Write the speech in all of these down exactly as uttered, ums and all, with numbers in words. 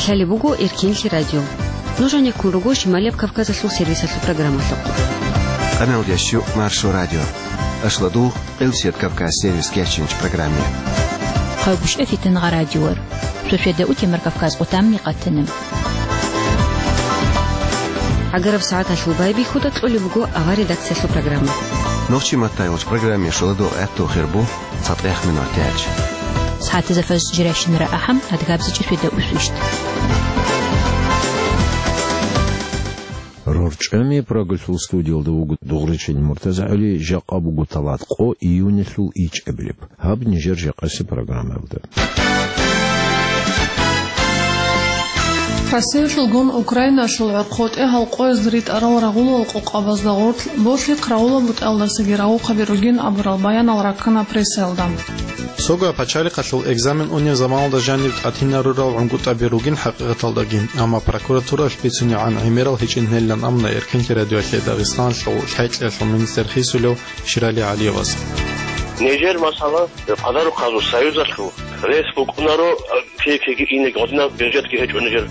Лъалеб буго Эркенлъи радио. Нуж гьанеккун руго Шималияб Кавказалъул сервисалъул программалъухъ. Къаналда щу Маршо радио. Ашладугъ Къилсият Кавказ сервис кечинч программе. Хъагушев Фитангъа радиор. Шошеда утемар Кавказ къутамни къатана. Агараб сагӀаталъул байбихьуда кьолеб буго авар редакциялъул программа. Нохчи маттайгъуч программе шоладо гӀатту хирбу. ЦатӀех минут тяч. СагӀатазда фажр жиращинара ахӀам, адгабзичӀи феда усвищт. РорчӀами Прагалъул студиялда вуго дугъричил МуртазагӀали, жакъа буго талат къо июнилъул ичӀабилеб. Гьаб нижер жакъаси программаялда. Россиялъулгун Украиналъул гӀорхъотӀе гьалкъоязда ритӀарал рагъулал къокъабазда гъорлъ болъихъ рагъулаб бутӀалдасаги рагъухъаби ругин абурал баянал раккана прессаялда. Цого пачалихъалъул экзамен унеб заманалда жаниб тӀатинарурал гӀунгутӀаби ругин хӀакъикъаталдаги, амма прокуратуралъ бицунегӀан гӀемерал гьечӀин гьелилан амна Эркенлъи радиоялъе Дагъистаналъул хӀетӀлъиялъул министр хисулев Ширали ГӀалиевас. Нижер масала, къадарухъазул союзалъул рес букӀунаро, кей-кейги инеги гъодинаб бюджетги гьечӀо нижер.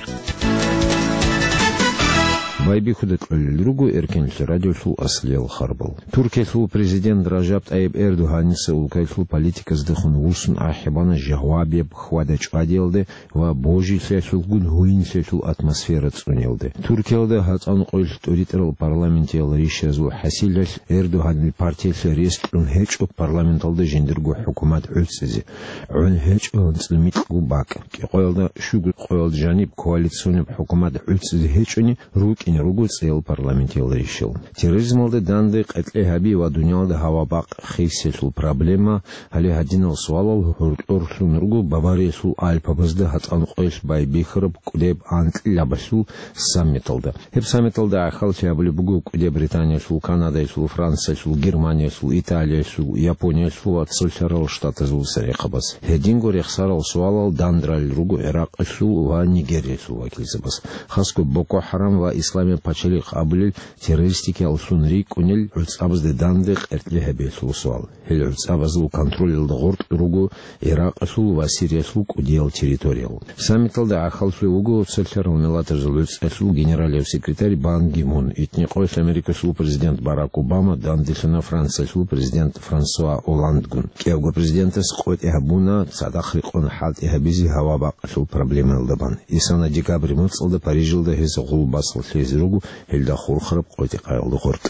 Байбихьуда кьолел руго Эркенлъи радиолъул аслиял харбал. Туркиялъул президент Ражаб ТӀайиб Эрдогьаница улкаялъул политиказдехун вуссун ахӀи бана жавабияб хьвада-чӀвадиялде ва божилъиялъулгун гьуинлъиялъул атмосфера цӀуниялде. Туркиялда гьатӀан къоялъ тӀуритӀарал парламентиял ришазул хӀасилалъ Эрдогьанил партиялъе рес кьун гьечӀо парламенталда жиндирго хӀукумат гӀуцӀизе. ГӀун гьечӀо анцӀила микьго бакӀ. КӀикъоялда щуго къоялда жаниб коалициониб хӀукумат гӀуцӀизе гьечӀони, рукӀине руго цӀеял парламентиял ришал. Терроризмалда данде къеркье гьаби ва дуниялда гьава-бакъ хисиялъул проблема, гьале гьадинал суалал гьоркьорлъун руго Бавариялъул Альпабазда гьатӀан къоялъ байбихьараб кӀудеб анкьилабалъул саммиталда. Гьеб саммиталда гӀахьаллъи гьабулеб буго кӀудеб Британиялъул, Канадаялъул, Франциялъул, Германиялъул, Италиялъул, Япониялъул ва Цолъарал Штатазул церехъабаз. Гьединго рехсарал суалал дандрал руго ГӀиракъалъул ва Нигериялъул вакилзабаз. Хасго Боко ХӀарам ва Исламияб пачалихъ абулел террористикаллъун рикӀкӀунел гӀуцӀабазда данде къеркье гьабиялъул суал. Гьел гӀуцӀабазул контролалда гъоркь руго ГӀиракъалъул ва Сириялъул кӀудиял территориял. Саммиталда гӀахьаллъулев вуго Цолъарал Миллатазул ГӀуцӀалъул генералияв секретарь Бан Ги Мун, итни къоялъ Америкасул президент Барак Обама данделъана Франциялъул президент Франсуа Олландгун. КӀиявго президентас къотӀи гьабуна цадахъ рекъон хӀалтӀи гьабизе гьава-бакъалъул проблемаялда бан. Исана декабрь моцӀалда Парижалда гьес гъул басалъизе руго, гьелда хурхараб къотӀи-къаялда гъоркь.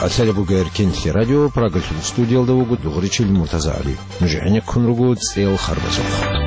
Къасалеб буго Эркенлъи радио, Прагалъул студиялда вуго дугъричил МуртазагӀали. Нуж гӀенеккун руго цӀел харбазухъ.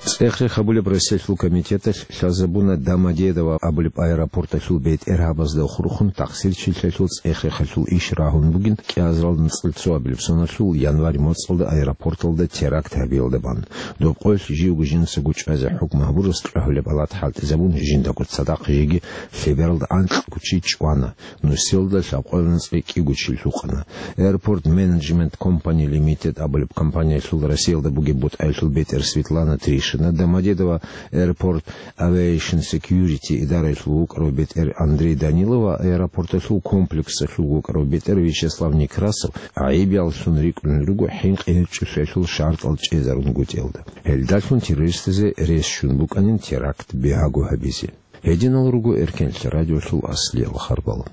ЦӀех-рех гьабулеб Россиялъул комитеталъ лъазабуна Домодедово абулеб аэропорталъул бетӀергьабазда хурхун тахсирчилъиялъул цӀех-рехалъул иш рагьун бугин кӀиазарал нацӀил цоабилеб соналъул январь моцӀалда аэропорталда теракт гьабиялда бан. Доб къоялъ живго жинцаго чӀвазе хӀукму гьабурас кьвагьулеб алат хӀалтӀизабун жиндаго цадахъ жеги лъебералда анкьго чи чӀвана, нусиялда лъабкъоялда цӀикӀкӀиго чи лъукъана. Airport Management Company Limited абулеб компаниялъул Россиялда бугеб бутӀаялъул бетӀер Светлана Тришина, Домодедово Airport Aviation Security идараялъул вукӀарав бетӀер Андрей Данилов ва аэропорталъул комплексалъул вукӀарав бетӀер Вячеслав Некрасов гӀайибияллъун рикӀкӀунел руго хӀинкъи гьечӀолъиялъул шартӀал чӀезарунгутӀиялда. Гьелдалъун террористазе рес щун букӀанин теракт бигьаго гьабизе. Гьединал руго Эркенлъи радиолъул аслиял харбал.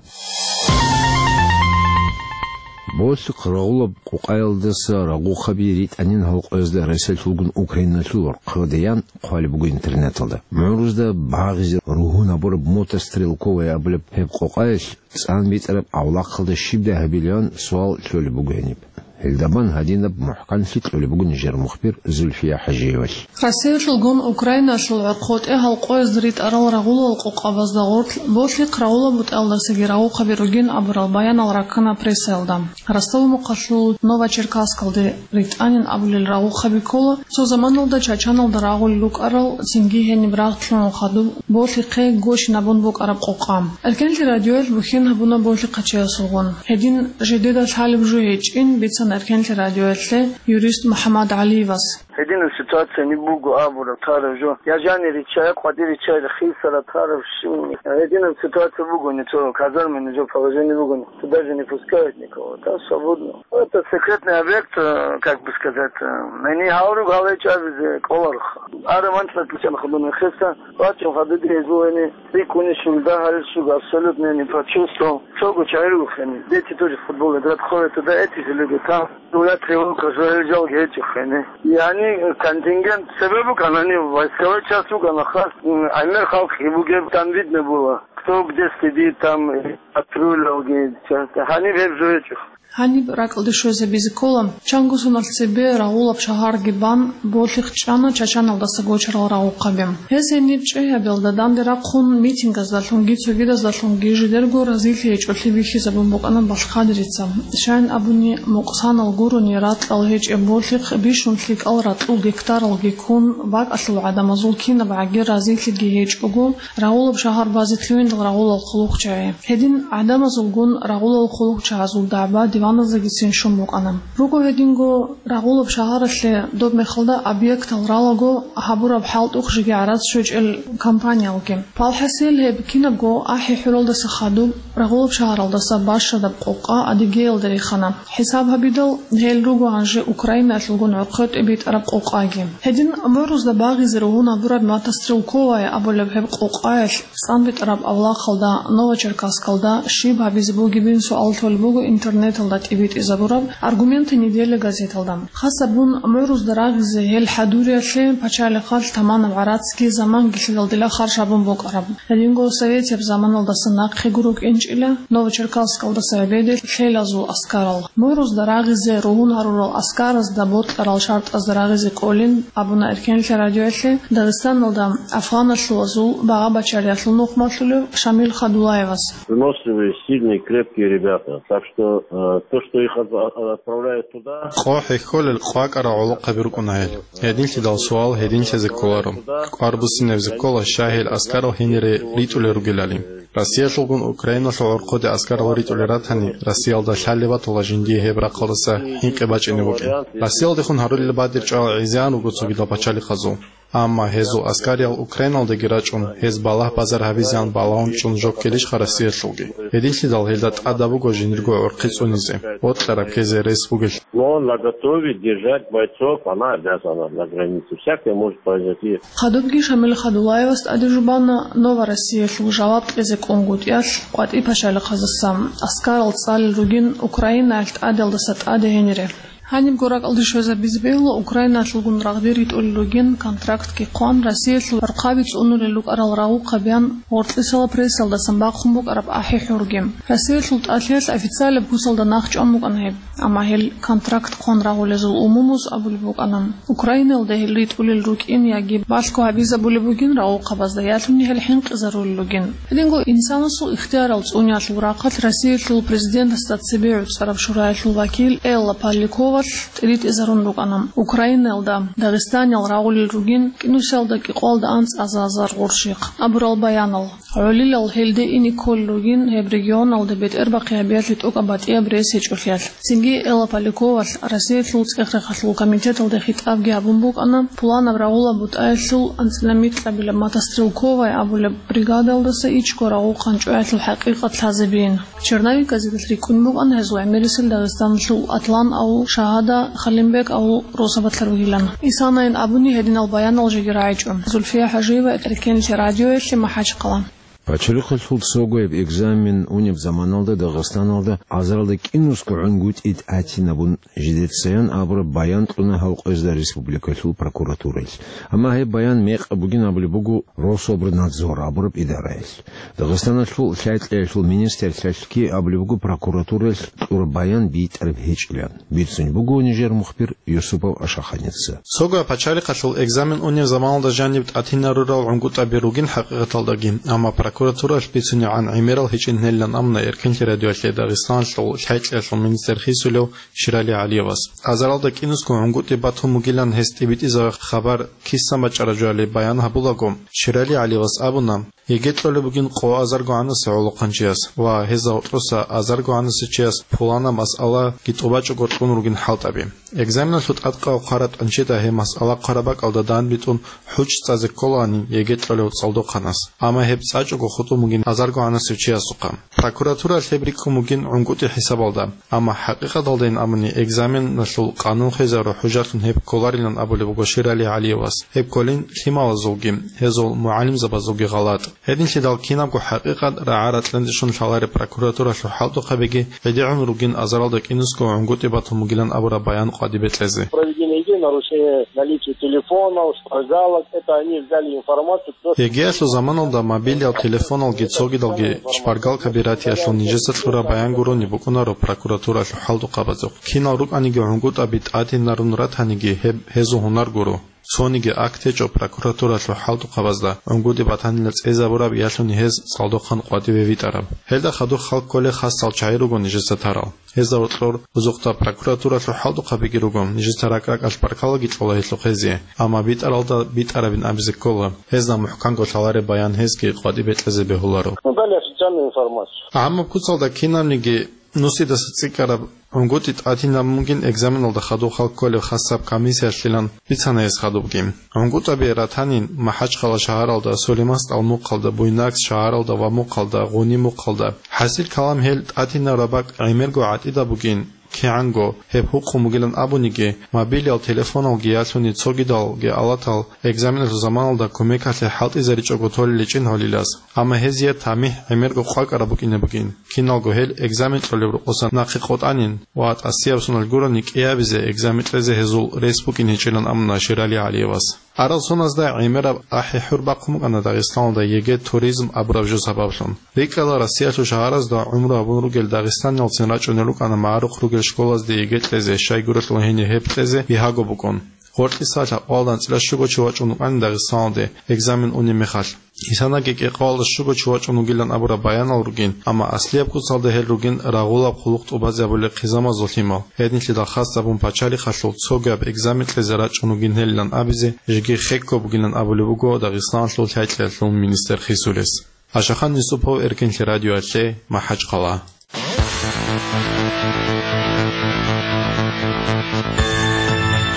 Болъихъ рагъулаб къукъаялдаса рагъухъаби ритӀанин гьалкъоязда Россиялъулгун Украиналъул хъвадиян хъвалеб буго интернеталда. МугӀрузда багъизе ругьунабураб мотострелковая абулеб гьеб къукъаялъ цӀан битӀараб авлахъалда щибдай гьабилан суал лъолеб буго гьениб. Гьелдабан гьадинаб мухӀканлъи кьолеб буго нижер мухбир Зульфия ХӀажиевалъ. Россиялъулгун Украиналъул гӀорхъотӀе гьалкъоязда ритӀарал рагъулал къокъабазда гъорлъ болъихъ рагъулаб бутӀалдасаги рагъухъаби ругин абурал баянал раккана прессаялда. Ростов-Мухъалъул Новочеркасскалде ритӀанин абулел рагъухъаби ккола цо заманалда Чачаналда рагъулел рукӀарал, цинги гьениб рагъ лъугӀун хадуб болъихъе гощин абун букӀараб къокъа. Эркенлъи радиоялъ бухьен гьабуна болъихъачиясулгъун. Гьедин жидеда лъалеб жо гьечӀин бицана Эркенлъи радиоялъе юрист МухӀаммад ГӀалиевас. Гьединаб ситуация не буго абураб тараб жо. Я жанир ричча, я къватӀир ричча, я хисара тараб щуни. Гьединаб ситуация бугони, цо казармани жо положение бугони, туда же не пускают никого. Там свободно. Это секретный объект, э, как бы сказать, э, они гьал руг гьалай чӀабизе кӀоларха. Ара манчӀ батичан хадуна хеса, вачун хадуди гьезулани, рикӀкӀуни шулда гьалил шуг абсолютно не почувствовал. Цого чагӀи рухани. Дети тоже в футбол играть ходят туда, эти же люди там. Дула тревога, жо гьел жалги гьечӀо хене. Яни контингент себеб букӀана, гьанив войсковой часть букӀана, хас, м, гӀемер халкъги бугеб, там видно было, кто где сидит, там, патрулялги, часть. Гьаниб гьеб жо гьечӀо. Гьаниб ракӀалде щвезабизе ккола, чанго соналъ цебе рагъулаб шагьарги бан, болъихъ чӀана Чачаналдаса гочарал рагъухъаби. Гьез гьениб чӀегьабилда данде рахъун митингаздалъунги цогидаздалъунги жидерго разилъи гьечӀолъи бихьизабун букӀана Балхъадирица. Щайин абуни, мукъсанал гурони ракьал гьечӀеб болъихъ бищун лъикӀал ракьул гектаралги ккун, бакӀалъул гӀадамазул кинаб гӀаги разилъиги гьечӀого, рагъулаб шагьар базе лъугьиндал рагъулал хъулухъчагӀи. Гьедин гӀадамазулгун рагъулал хъулухъчагӀазул дагӀба диваназегицин щун букӀана. Руго гьединго рагъулаб шагьаралъе доб мехалда объектал ралаго гьабураб хӀалтӀухъ жеги гӀарац щвечӀел компаниялги. Палхасел гьеб кинабго ахӀи-хӀуралдаса хадуб, рагъулаб шагьаралдаса бащадаб къокъа Адигеялда рихана. ХӀисаб гьабидал, гьел руго гьанже Украинаялъулгун гӀорхъе тӀибитӀараб къокъаги. Гьедин гӀумрузда багъизе ругьун гьабураб Мата Стрелковая абулеб гьеб къокъаялъ цӀанбитӀараб авлахъалда, Новочеркасскалда, щиб гьабизе бугебин суал толеб буго интернеталда тӀибитӀизабураб «Аргументы недели» газеталда. Хасабун гӀумрузда рагъизе гьел хӀадуриялъе пачалихъалъ таманаб гӀарацги заманги лъидал дила харж гьабун букӀараб. Гьединго советияб заманалдаса нахъего рукӀинчӀила Новочеркасскалдаса гӀебеде лъелазул аскарал. ГӀумрузда рагъизе ругьун гьарурал аскаразда бокьарал шартӀазда рагъизе кӀолин абуна Эркенлъи радиоялъе Дагъистаналда афгъаналъулазул багъа-бачариялъул нухмалъулев Шамил Хадулаевас. Выносливые, сильные, крепкие ребята. Так что, э, то, что их от-, от-, отправляют туда. Къо хӀехьолел къвакӀарал гӀолохъаби рукӀуна гьел. Гьединлъидал суал гьединлъизе кколаро. КӀвар буссинабизе ккола, щай гьел аскарал гьенире ритӀулел ругелали. Россиялъулгун Украиналъул гӀорхъоде аскарал ритӀулел ратани, Россиялда лъалеб батула жиндие гьеб рахъалдаса хӀинкъи бачӀине букӀин. Россиялдехун гьарулел бадиб чӀвал гӀезегӀан руго цогидал пачалихъазул. Амма гьезул аскариял Украиналдаги рачӀун, гьез балагь-базар гьабизеян балагьун чӀун жо ккелищха Россиялъулги? Гьединлъидал гьелда тӀадаб буго жиндирго гӀурхъи цӀунизе, бокьараб ккезе рес бугелъул. Но наготове держать бойцов она обязана на границе. Всякое может произойти. Хадубги Шамил Хадулаевас тӀаде жубана «Нова Россиялъул» жаваб кьезе кӀунгутӀиялъ къватӀи пачалихъаздаса аскарал цӀалел ругин Украинаялъ тӀаделдаса тӀаде гьенире. Гьанибго ракӀалде щвезабизе бегьула Украинаялъулгун рагъде ритӀулел ругин контрактги хъван, Россиялъул гӀурхъаби цӀунулел рукӀарал рагъухъабиян гъоркьисала прессалдасан бахъун букӀараб ахӀи-хӀурги. Россиялъул тӀалъиялъ официалаб куцалда нахъчӀван букӀана гьеб. Амма гьел контракт хъван рагъулезул умумуз абулеб букӀана, Украинаялда гьел ритӀулел рукӀин яги балъго гьабизабулеб бугин рагъухъабазда, ялъуни гьел хӀинкъизарулел ругин. Гьединго инсанасул ихтиярал цӀуниялъул рахъалъ Россиялъул президентасда цебе гӀуцӀараб шураялъул вакил Элла Поляковалъ тӀибитӀизарун рукӀана Украинаялда Дагъистаниял рагъулел ругин кӀинусиялда кӀикъоялда анцӀазазар гъурщихъ абурал баянал. ГӀолилал гьелде ине кколел ругин гьеб регионалда бетӀербахъи гьабиялъе тӀокӀаб батӀияб рес гьечӀолъиялъ. Цинги Элла Поляковалъ Россиялъул цӀех-рахъалъул комитеталде хитӀабги гьабун букӀана, пуланаб рагъулаб бутӀаялъул анцӀила микьабилаб Мата Стрелковая абулеб бригадалдаса ичӀго рагъухъан чӀваялъул хӀакъикъат лъазабиин. Черновик газеталъ рикӀкӀун букӀана гьезул гӀемерисел Дагъистаналъул Атлан авул, Шагьада, Халимбек авул росабалъа ругилан. Исанайин абуни гьединал баянал жеги рагӀичӀо. Зульфия ХӀажиева, Эркенлъи радиоялъе, МахӀачхъала. Пачалихъалъул цогояб экзамен унеб заманалда Дагъистаналда азаралда кӀинусго гӀунгутӀи тӀатинабун жидецаян абураб баян кьуна гьав къвезда республикалъул прокуратураялъ. Амма гьеб баян мекъаб бугин абулеб буго Рособрнадзор абураб идараялъ. Дагъистаналъул лъай-кьеялъул министрлъалъги абулеб буго прокуратураялъ кьураб баян битӀараб гьечӀилан. Бицунеб буго нижер мухбир Юсупов Ашаханица. Цого пачалихъалъул экзамен унеб заманалда жаниб тӀатинарурал гӀунгутӀаби ругин хӀакъикъаталдаги, амма прокуратураялъ бицунебгӀан гӀемерал гьечӀин гьелилан абуна Эркенлъи радиоялъе Дагъистаналъул лъай-кьеялъул министр хисулев Ширали ГӀалиевас. Азаралда кӀинусго гӀунгутӀи батун бугилан гьес тӀибитӀизаб хабар кисан бачӀараб жоялде баян гьабулаго, Ширали ГӀалиевас абуна, ЕГЭ кьолеб бугин къо азарго гӀанасев гӀолохъанчияс ва гьезда гьоркьоса азарго гӀанасев чияс пуланаб масъалаги тӀубачӀого кьун ругин хӀалтӀаби. Экзаменалъул тӀадкъав хъвараб тӀанчида гьеб масъала хъвараб бакӀалда данбитӀун хӀуччи цӀазе кколаанин ЕГЭ кьолев цӀалдохъанас. Амма гьеб цӀачӀого хутӀун бугин азарго гӀанасев чиясухъа. Прокуратуралъ гьеб рикӀкӀун бугин гӀунгутӀи хӀисабалда. Амма хӀакъикъаталдайин абуни, экзаменалъул къанун хвезару хӀужалъун гьеб кколарилан абулеб буго Ширали ГӀалиевас. Гьеб кколин лъималазулги, гьезул мугӀалимзабазулги гъалатӀ. Гьединлъидал кинабго хӀакъикъат рагӀа-ракьанде щун лъалареб прокуратуралъул хӀалтӀухъабиги гӀедегӀун ругин азаралда кӀинусго гӀунгутӀи батун бугилан абураб баян къватӀибе кьезе. Проведение ЕГЭ, нарушение наличия телефонов, шпаргалок, это они взяли информацию. ЕГЭ-ялъул заманалда мобилиял телефоналги цогидалги шпаргалкаби ратиялъул нижеца кьураб баян гурони букӀунаро прокуратуралъул хӀалтӀухъабазухъ. Кинал рукӀаниги гӀунгутӀаби тӀадинарун ратаниги гьеб гьезул гьунар гуро. Цониги акт гьечӀо прокуратуралъул хӀалтӀухъабазда гӀунгутӀи батанила цӀезабураб ялъуни гьез цӀалдохъан къватӀиве витӀараб. Гьелда хадуб хал кколей хасал чагӀи руго нижеца тарал. Гьезда гьоркьор бузухъда прокуратуралъул хӀалтӀухъабиги руго, нижеца ракӀ-ракӀалъ баркалаги кьола гьелъухъ гьезие, амма битӀаралда битӀарабин абизе ккола, гьезда мухӀканго лъалареб баян гьезги къватӀибе кьезе бегьуларо. Ну, дали официальную информацию. ГӀаммаб куцалда кинабниги нусидаса цӀикӀкӀараб гӀунгутӀи тӀадинабун бугин экзаменалда хадуб хал кколеб хасаб комиссиялъилан бицана гьес хадубги. ГӀунгутӀаби ратанин МахӀачхъала шагьаралда, Сулейман СтӀал мухъалда, Буйнакск шагьаралда ва мухъалда, Гъуни мухъалда. ХӀасил калам гьел тӀадинараб бакӀ гӀемерго гӀатӀида бугин, кигӀанго гьеб гьукъун бугилан абуниги, мобилиял телефоналги ялъуни цогидалги алатал экзаменалъул заманалда кумекалъе хӀалтӀизаричӀого толел гьечӀин гьолилас. Амма гьезие тамихӀ гӀемерго къвакӀараб букӀине бугин. Киналго гьел экзамен кьолеб рокъоса нахъе къотӀанин ва тӀасияб соналъ гурони кӀиабизе экзамен кьезе гьезул рес букӀин гьечӀилан абуна Ширали ГӀалиевас. Арал соназда гӀемераб ахӀи-хӀур бахъун букӀана Дагъистаналда ЕГЭ туризм абураб жо сабаблъун. РикӀкӀала Россиялъул шагьаразда гӀумру гьабун ругел дагъистаниялцин рачӀунел рукӀана магӀарухъ ругел школазде ЕГЭ кьезе, щайгурелъул гьенир гьеб кьезе бигьаго букӀун. Гъоркьиса лъабкъоялда анцӀила щуго чи вачӀун вукӀанин Дагъистаналде экзамен унеб мехалъ. Гьисанаги кӀикъоялда щуго чи вачӀун вугилан абураб баянал ругин, амма аслияб куцалда гьел ругин рагъулаб хъулухъ тӀубазе гьабулел хъизамазул лъимал. Гьединлъидал хасабун пачалихъалъул цогияб экзамен кьезе рачӀун вугин гьелилан абизе жеги хекко бугилан абулеб буго Дагъистаналъул лъай-кьеялъул министр Хисулис. Ашахан Юсупов, Эркенлъи радиоялъе, МахӀачхъала.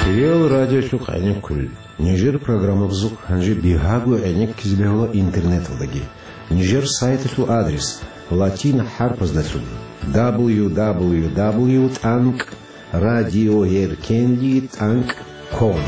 Кирил радиолъухъ гӀенеккулел. Нижер программабазухъ гьанже бигьаго гӀенеккизе бегьула интернеталдаги. Нижер сайталъул адрес латин хӀарпаздалъун: дабл ю дабл ю дабл ю тӀанкӀ радиоэркенлъи тӀанкӀ ком.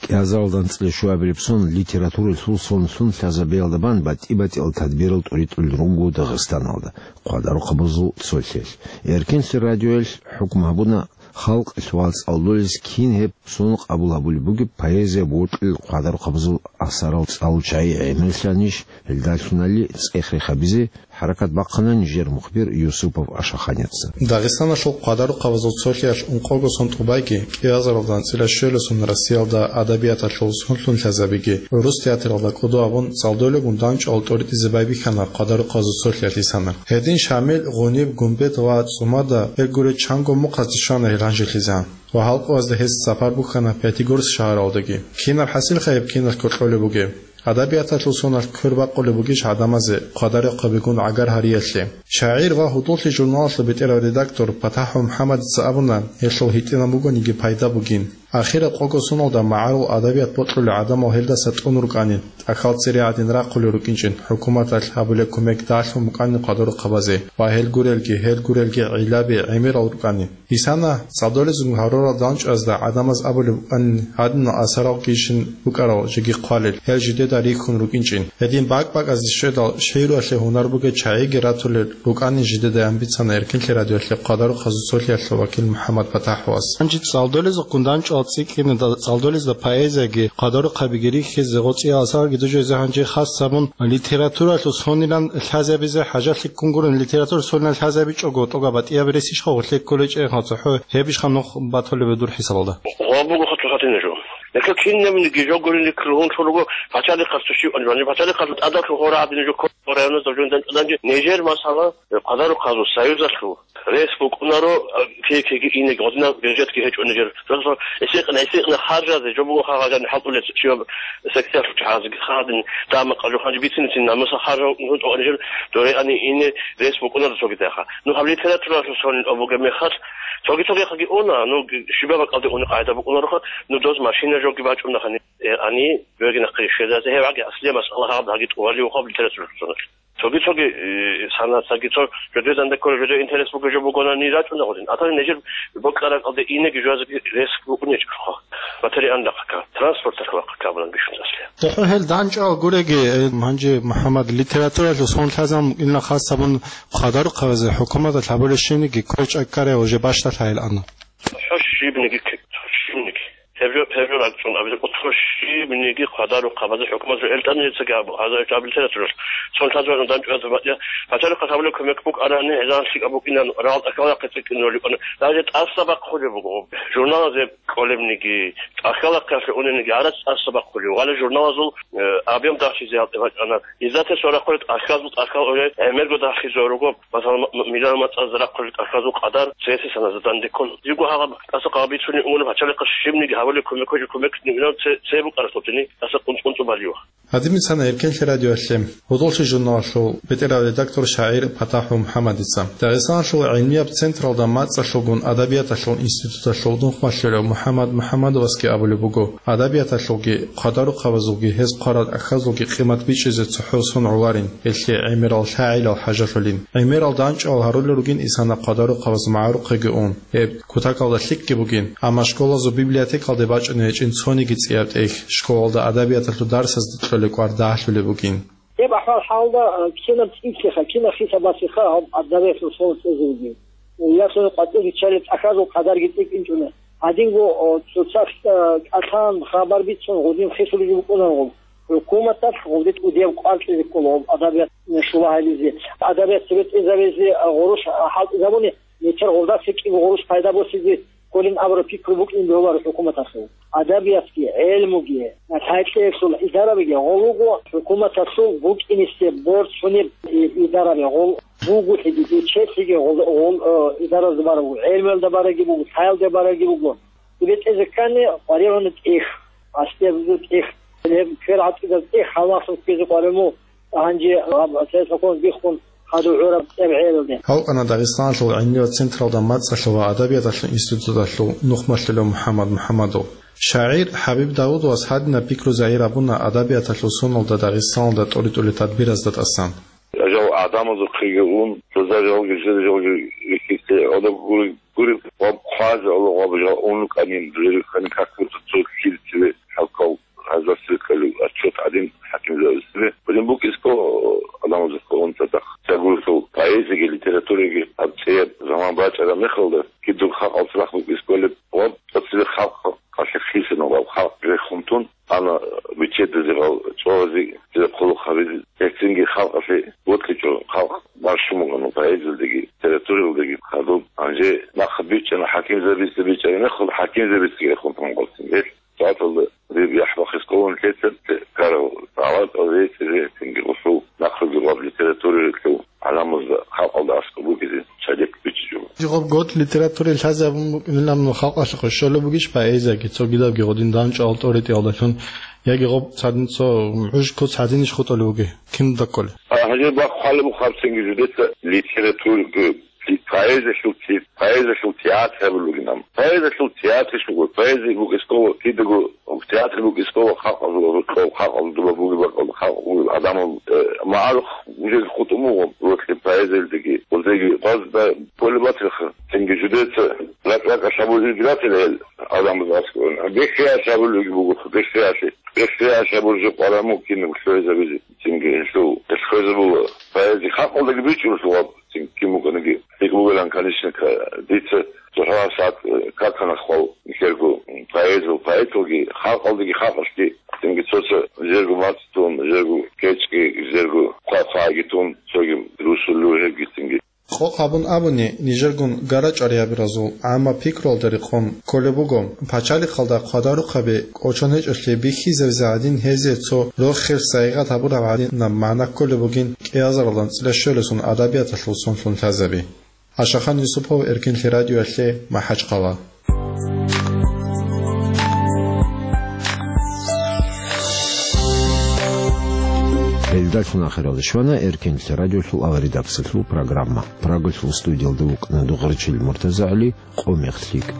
КӀиазаралда анцӀила щуабилеб сон литературалъул сонлъун лъазабиялда бан батӀи-батӀиял тадбирал тӀуритӀулел руго Дагъистаналда хъвадарухъабазул цолъиялъ. Эркенлъи радиоялъ хӀукму гьабуна халкъалъ ва цӀалдолез кин гьеб сон къабул гьабулеб бугеб поэзия бокьулел хъвадарухъабазул асарал цӀалул чагӀи гӀемерлъанищ, гьелдалъунали цӀех-рех гьабизе хӀаракат бахъана нижер мухбир Юсупов Ашаханяца. Дагъистаналъул хъвадарухъабазул цолъиялъ ункъого сон тӀубайги, кӀиазаралда анцӀила щуялъул сон Россиялда адабияталъул сонлъун лъазабиги, гӀурус театралда кӀодо абун, цӀалдолегун дандчӀвал тӀоритӀизе байбихьана хъвадарухъабазул цолъиялъ Гьисана. Гьедин Шамил, Гъуниб, Гумбет ва ЦӀумада гьел гурел чанго мухъазде щвана гьел гьанжелъизан ва гьалкӀуазда гьез сапар бухьана Пятигорск шагьаралдаги. Кинаб хӀасилха гьеб киналъ кокьолеб бугеб? Адабияталъул соналъ квер бакъулеб бугищ гӀадамазе хъвадарухъабигун гӀагар гьариялъе? ШагӀир ва «Гьудуллъи» журналалъул бетӀерав редактор ПатахӀ МухӀамадица абуна, гьелъул гьитӀинаб бугониги пайда бугин. Ахираб къого соналда магӀарул адабият бокьулел гӀадамал гьелдаса тӀун рукӀанин, тӀахьал цере гӀадин рахъулел рукӀинчӀин, хӀукуматалъ гьабулеб кумек дагьлъун букӀанин хъвадарухъабазе ва гьел гурелги, гьел гурелги гӀиллаби гӀемерал рукӀанин. Гьисана цӀалдолезун гьарурал дандчӀвазда гӀадамаз абулеб букӀанин, гьадинал асаралгищин букӀарал жеги хъвалел, гьел жидеда рихьун рукӀинчӀин. Гьедин бакӀ-бакӀазде щведал, шигӀруялъе гьунар бугел чагӀиги ратулел рукӀанин жидеда, ян бицана Эркенлъи радиоялъе хъвадарухъазул цолъиялъул вакил МухӀаммад ПатахӀовас. Гьанже цӀалдолезухъ гунданчӀвал цӀикӀкӀине, цӀалдолезда поэзияги хъвадарухъабиги рихьизе, гъоцӀиял асарги дужезе гьанже хас гьабун, литературалъул сонилан лъазабизе хӀажалъи ккун гурони, литература сонилан лъазабичӀого тӀоба батӀияб рес ищха гъорлъе кколечӀей, гъоцӀа хӀу гьеб ищха нух батулеб дур хӀисабалда? Гъо буго хъату хатине жо. Гьелъул кинабниги жо гурин рихьулел гьунлъун руго пачалихъасда щив анжу. Гьанже пачалихъалъул тӀадалъув гьора гьадин жо ккола районазда жундан чӀвадан, нижер, масала, Хъадарухъазул союзалъул рес букӀунаро, кей-кеги инеги, гъодинаб бюджетги гьечӀо нижер. Просто эсикъна, эсикъна харжазе жо буго хагъажани хӀалтӀулес щиваб секциялъул чагӀазеги хадин, тӀама къажу ханжи бицин-бицин намуса харжа нижер, дореани ине рес букӀунаро цогидахъа. Ну, гьаб литературалъул сонил обуге мехалъ, цоги-цогияхъаги уна, ну, щибаб бакӀалде уни къагӀида букӀунароха, ну, доз машина жоги бачӀунаха. Э, ани, бегинахъе щвезазе, гьев гьаги аслия масъала гьаб гьаги тӀувалиухъаб литературалъул соналъ. Цоги-цоги, э, санацаги цо жодеданда ккола, жодее интерес буго жо бугонани рачӀуна гъодин. Атани нижер бокьаракьалде инеги жуазеги рес букӀунечӀо. Материалдахъака, транспорталъухъака абулан бищун аслия. ТохӀо гьел данчӀал гуреги, э, гьанже МухӀаммад, литературалъул сон лъазабун ила хас гьабун Хъадарухъазе хӀукуматалъ гьабулеб щибниги квер чӀвай ккарай уже бащдалъайилан. ХӀо щибниги, щибниги. Гьеб жо, гьеб жо ракӀчӀун абизе кӀутӀру щибниги Хъадарухъабазе хӀукумат жо элтӀани гьецаги абу, гьаза гьечӀо аб литературалъ. Цон лъазабазун данчӀвазе батӀа, пачалихъа гьабулеб кумек букӀарани, гьезан лъикӀаб букӀинан, рагъал тӀахьалахъе цӀикӀкӀинулеб букӀана. Даже тӀаса бахъулеб буго. Журналазе кӀолебниги, тӀахьалахъе унебниги гьарац тӀаса бахъулеб. Гьале журналазул, э, объем дагьлъизе гьалтӀи бачӀана. Изатес ва рахъулеб тӀахьазул тӀахьал уре гӀемерго дагьлъизе руго. Масала, м-, м-, миллион мацӀаз рахъулел тӀахьазул къадар цеси саназа дандеккун. Жиго гьагъаб тӀаса къагъбицуней унгун пачалихъа щибниги гьабулеб кумек гьечӀо, кумек нигилан це, це букӀаралъухъени тӀаса къунцӀ-къунцӀу балиюха. Гьадин бицана Эркенлъи радиоялъе гьудуллъи журналалъул бетӀерав редактор шагӀир ПатахӀов МухӀаммадица. Дагъистаналъул гӀилмияб централда мацӀалъулгун адабияталъул институталъул нухмалъулев МухӀаммад МухӀаммадовасги абулеб буго, адабияталъулги, хъадарухъабазулги, гьез хъварал тӀахьазулги къимат бичӀчӀизе цохӀо сон гӀоларин, гьелъие гӀемерал лъагӀалил хӀажалъулин. ГӀемерал данчӀвал гьарулел ругин исана хъадарухъабаз магӀарухъеги ун. Гьеб кутакалда лъикӀги бугин, амма школазул библиотекалде бачӀуней гьечӀин цониги цӀияб тӀехь, школалда адабияталъул дарсазда кьолеб кӀвар дагьлъулеб бугин. Гьеб ахӀвал-хӀалда, а, кинаб цӀикӀлъиха, кинаб хисабалъиха гьаб адабиялъул сон цӀезегӀин. Ясуна къватӀире чӀараб тӀахьазул къадарги цӀикӀкӀинчӀуна. Гьадинго, о, цоцалъ, а, кӀалъан хабар бицун гъудин хисулеб букӀунаро. ХӀукуматалъ гъудин кӀудияб кӀвар кьезе ккола гьаб адабият, м, шула гьабизе. Адабият цебетӀезабизе, а, гъурущ, а, хӀалтӀизабуни, нечер гъолдаса кӀиго гъурущ пайда босизе кколин абураб пикру букӀин бегьуларо хӀукуматалъул. Адабиятги, гӀелмуги, лъай-кьеялъул идарабиги гъол руго, хӀукуматалъул букӀинисе борцунеб и-, идараби гъол бугулъиги, бечелъиги гъол, гъол, э, идаразда бараб буго, гӀелмуялда бараги буго, лъаялда бараги буго. БетӀезе ккани къваригӀуна тӀехь, аскӀобазул тӀехь, гьеб квер гӀатӀидал тӀехь гьалмагълъун ккезе къваригӀун. Гьанже гьаб цересакъон биххун хадув гӀураб цӀебгӀералде. Гьавкъана Дагъистаналъул гӀилмияб централда мацӀалъул ва адабияталъул институталъул нухмалъулев МухӀаммад МухӀаммадов. ШагӀир ХӀабиб Давудовас гьадинаб пикру загьир гьабуна адабияталъул соналда Дагъистаналда тӀоритӀулел тадбиразда тӀасан. Жал гӀадамазухъеги ун, цо жалги, жал жалги рихьизе гӀодоб гури-, гури, гъаб хъвазе Аллагь гъаб жал ун рукӀанин, жал рихьани как будто цо килцеве хӀалкал гьазда цебе кколев отчет гьадин хӀакимзабазде. Гьадин букӀисго гӀадамазухъе ун цадахъ. Цогидалъул поэзиялги литератураялги гьаб цӀияб заман бачӀараб мехалда, кидаб халкъалъ рахъ букӀисголеб ва цо цебе халкъ къалъе хисина ва халкъ рехун тун, ана биччадазе гъал чӀвазе, цебе хъулухъ гьабизе, гьецинги халкъалъе вокьичӀо, халкъ бащун бугону поэзиялдаги, литературалдаги хадуб. Гьанже нахъа бичӀчӀана хӀакимзабица, бичӀчӀараб мехалда хӀакимзабицаги рехун тун гъолцин. Гьел сагӀаталда диб яхӀ бахъискӀолин лъецан карав, гӀалатӀал рецӀизе, гьецинги гъусул нахъеги гъаб литературалъул гӀаламазда халкъалда аскӀоб бугезе чадек бичӀчӀичӀо. Гъаб гъот литература лъазе абун букӀунилан халкъалъухъе щолеб бугищ поэзиялги, цогидабги гъодин данчӀвал тӀоритӀиялдалъун, яги гъаб цадин цо гӀуж куц гьадинищ хутӀулев вугев? Кин дакколеб? А, гьанже бахъ хъвалеб буго гьабцинги жидеца литература, поэзиялъул те-, поэзиялъул театр гьабулеб бугин. Поэзиялъул театрищ буго, поэзия букӀискӀо кидаго, театр букӀискӀо халкъалъул рокъов, халкъалъул дуба бугеб бакӀалда, халкъ бугеб гӀадамал, э, магӀарухъ жеги хутӀун буго, рокьи поэзиялдаги, гъозеги гъазда полеб батилха, цинги жидеца ракӀ-ракӀалъ гьабулеб гьел гӀадамаз аскӀове. Бихьиялъ гьабулебги буго, бихьиялъе. Бихьиялъ гьабулеб жо къваригӀун кинаб лъугӀизабизе, цинги гьелъул, гьел лъугӀизабула поэзия халкъалдаги бичӀчӀулеб гьаб. Цинги кин букӀаниги, гьикъ бугилан, конечно, ка-, дица цохӀо гьабсагӀат, э, какана хвал нилъерго поэзиял поэталги, халкъалдаги халкъалъги, цинги цо-цо жерго мацӀ тун, жерго кечӀги, жерго хъвай-хъвайги тун, цоги русуллъу гьебги цинги. Къокъ гьабун абуни, нижергун гара-чӀвариябразул гӀамма пикруялда рекъон кколеб буго, пачалихъалда хъвадарухъаби кӀочон гьечӀолъи бихьизаризе гӀадин гьезие цо рохел сайигъат гьабураб гӀадинаб магӀна кколеб бугин кӀиазаралда анцӀила щолесун адабияталъул сонлъун лъазаби. Ашахан Юсупов, Эркинлъи радиоялъе, МахӀачхъала. Гьелдалъун ахиралде щвана Эркинлъи радиолъул аваридаксалъул программа. Прагалъул студиялда вукӀана Дугъричил МуртазагӀали, Къо мех лъикӀ.